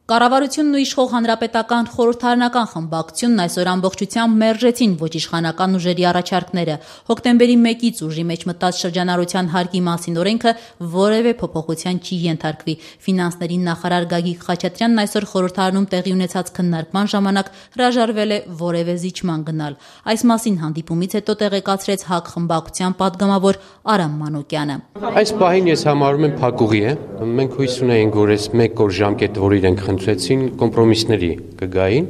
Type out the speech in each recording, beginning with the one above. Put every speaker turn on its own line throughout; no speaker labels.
Կառավարությունն ու իշխող հանրապետական խորհրդարանական խմբակցությունն այսօր ամբողջությամբ մերժեցին ոչ իշխանական ուժերի առաջարկները։ Հոկտեմբերի 1-ից ուժի մեջ մտած շրջանառության հարկի մասին օրենքը որևէ փոփոխության չի ենթարկվի։ Ֆինանսների նախարար Գագիկ Խաչատրյանն այսօր խորհրդարանում տեղի ունեցած քննարկման ժամանակ հրաժարվել է որևէ զիջման գնալ։ Այս մասին հանդիպումից հետո տեղեկացրեց ՀԱԿ խմբակցության падգամավոր Արամ Մանուկյանը։
Այս պահին ես համարում եմ փակուղի է։ Մենք հույս ունեինք, որ այս մեկ օր ժամկետ, որ իրենք խնդրեցին, կոմպրոմիսների կգային,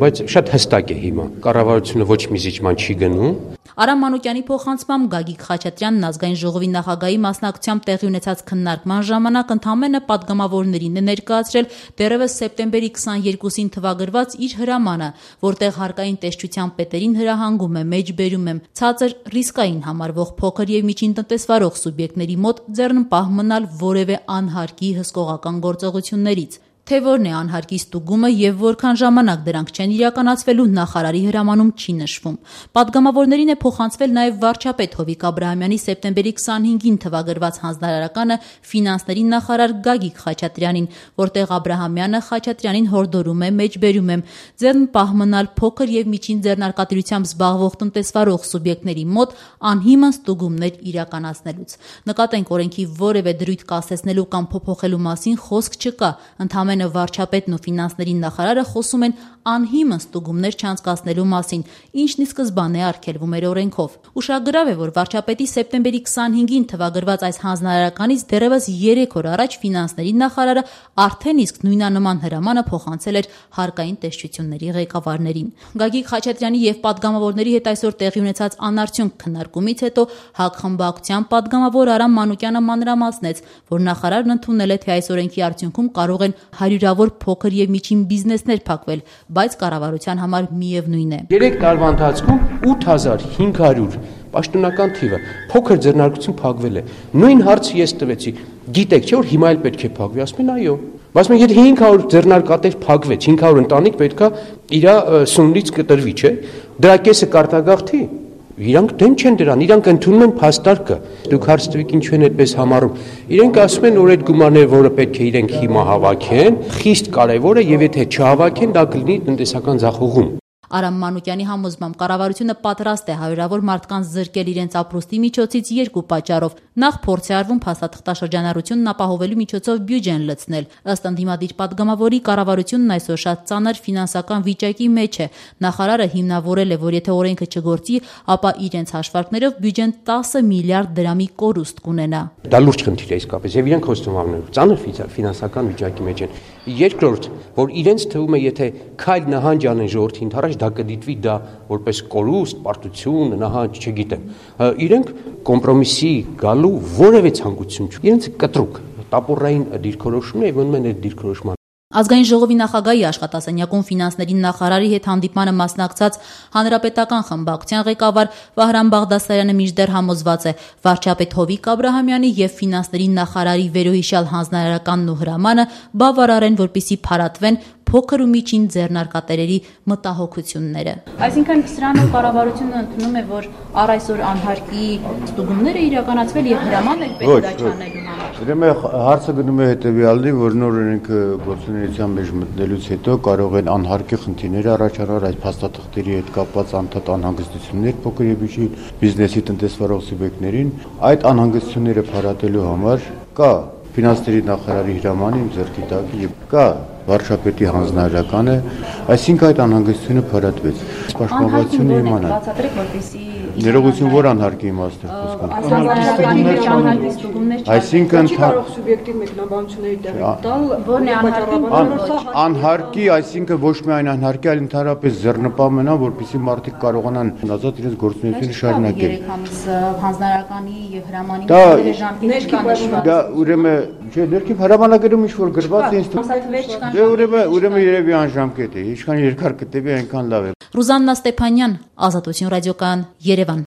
բայց շատ հստակ է հիմա։ Կառավարությունը ոչ մի զիջման չի գնում։
Արամ Մանուկյանի փոխանցմամբ Գագիկ Խաչատրյանն ազգային ժողովի նախագահի մասնակցությամբ տեղի ունեցած քննարկման ժամանակ ընդամենը падգամավորներին է ներկայացրել դեռևս սեպտեմբերի 22-ին թվագրված իր հրամանը, որտեղ հարկային տեսչության պետերին հրահանգում է, մեջբերում եմ ցածր ռիսկային համարվող փոքր եւ միջին տնտեսվարող սուբյեկտների մոտ ձեռնպահ մնալ որևէ անհարկի հսկողական գործողություններից։ Թե որն է անհարկի ստուգումը եւ որքան ժամանակ դրանք չեն իրականացվելու նախարարի հրամանում չի նշվում։ Պատգամավորներին է փոխանցվել նաեւ վարչապետ Հովիկ Աբրահամյանի սեպտեմբերի 25-ին թվագրված հանձնարարականը ֆինանսների նախարար Գագիկ Խաչատրյանին, որտեղ Աբրահամյանը Խաչատրյանին հորդորում է, մեջբերում եմ ձեռնպահ մնալ փոքր եւ միջին ձեռնարկատիրությամբ զբաղվող տնտեսվարող սուբյեկտների մոտ անհիմն ստուգումներ իրականացնելուց։ Նկատենք օրենքի որևէ դրույթ կասեցնելու կամ փոփոխելու մասին խոսք չկա։ Ընդամենը վարչապետն ու ֆինանսների նախարարը խոսում են անհիմն ստուգումներ չանցկացնելու մասին, ինչն ի սկզբանե արգելվում էր օրենքով։ Ուշագրավ է, որ վարչապետի սեպտեմբերի 25-ին թվագրված այս հանձնարարականից դեռևս 3 օր առաջ ֆինանսների նախարարը արդեն իսկ նույնանման հրամանը փոխանցել էր հարկային տեսչությունների ղեկավարներին։ Գագիկ Խաչատրյանի եւ падգամավորների հետ այսօր տեղի ունեցած անարդյունք քննարկումից հետո ՀԱԿ խմբակցության падգամավոր Արամ Մանուկյանը մանրամասնեց, որ նախարարն ընդունել է, թե այս օրենքի արդյունքում կարող են հարյուրավոր փոքր եւ միջին բիզնեսներ փակվել, բայց կառավարության համար միևնույն է։
3 տարվա ընթացքում 8500 պաշտոնական թիվը փոքր ձեռնարկություն փակվել է։ Նույն հարցը ես տվեցի։ Գիտեք, չէ՞ որ հիմա էլ պետք է փակվի։ Ասում են այո։ Բայց մենք եթե 500 ձեռնարկատեր փակվեց, 500 ընտանիք պետքա իր սուննից կտրվի, չէ՞։ Դրա կեսը կարտագաղթի։ Իրանք դեմ չեն դրան, իրանք ընդունում են փաստարկը։ Դուք հարց տվեք ինչու են այդպես համարում։ Իրենք ասում են, որ այդ գումարները, որը պետք է իրենք հիմա հավաքեն, խիստ կարևոր է եւ եթե չհավաքեն, դա կլինի տնտեսական ձախողում։
Արամ Մանուկյանի համոզմամբ կառավարությունը պատրաստ է հարյուրավոր մարդկանց զրկել իրենց ապրուստի միջոցից 2 պատճառով։ Նախ փորձ է արվում փաստաթղթաշրջանառությունն ապահովելու միջոցով բյուջեն լցնել։ Ըստ ընդդիմադիր падգամավորի կառավարությունն այսօր շատ ծանր ֆինանսական վիճակի մեջ է։ Նախարարը հիմնավորել է, որ եթե օրենքը չգործի, ապա իրենց հաշվարկներով բյուջեն 10 միլիարդ դրամի կորուստ կունենա։
Դա լուրջ խնդիր է իսկապես եւ իրենք խոստովանում են, ծանր ֆինանսական վիճակի մեջ են։ Երկրորդ, որ իրենց թվում է, եթե քայլ նահանջ անեն ժողովրդի ընդառաջ, դա կդիտվի դա որպես կորուստ, պարտություն, նահանջ, չգիտեմ։ Իրենք կոմպրոմիսի գալու որևէ ցանկություն չունեն։ Իրենց կտրուկ, տապորային դիրքորոշումն է եւ մնում են այդ դիրքորոշման։
Ազգային ժողովի նախագահի աշխատասենյակում ֆինանսների նախարարի հետ հանդիպմանը մասնակցած հանրապետական խմբակցության ղեկավար Վահրամ Բաղդասարյանը մինչդեռ համոզված է, վարչապետ Հովիկ Աբրահամյանի եւ ֆինանսների նախարարի վերոհիշյալ հանձնարարականն ու հրամանը բավարար են, որպեսզի փարատվեն փոքր ու միջին ձեռնարկատերերի մտահոգությունները։ Այսինքն սրանով կառավարությունը ընդունում է, որ առ այսօր անհարկի ստուգումները իրականացվել եւ հրաման էլ պետք է չանելու համար։
Ուրեմն հարցը գնում է հետեւյալի, որ նոր օրենքը գործունեության մեջ մտնելուց հետո կարող են անհարկի խնդիրներ առաջանալ այդ փաստաթղթերի հետ կապված անդադ անհանգստություններ փոքր եւ միջին բիզնեսի տնտեսվարող սուբյեկտներին։ Այդ անհանգստությունները փարատելու համար կա ֆինանսների նախարարի հրամանը իմ ձեռքի տակ եւ կա վարչապետի հանձնարարականը, այսինքն այդ անհանգստությունը փարատվեց։ Պաշտպանվածությունը իմանալ։
Բացատրեք, որպեսզի
ներողություն, որ անհարկի իմաստը խոսքում։
Այսինքն կարող սուբյեկտիվ մեկնաբանությունների տեղի տալ,
որն է
անհարկի, այսինքն ոչ միայն անհարկի, այլ ընդհանրապես ձեռնպահ մնան, որպեսզի մարդիկ կարողանան ազատ իրենց գործունեությունը շարունակել։
3 ամիս հանձնարարականի եւ հրամանի ժամկետներ
դա ուրեմն չէ, ներքին հրամանագրում ինչ որ գրված է ինստիտուտ։ Դե ուրեմն երևի անժամկետ է, ինչքան երկար կտևի, այնքան լավ է։
Ռուզաննա Ստեփանյան, Ազատություն ռադիոկայան, Երևան։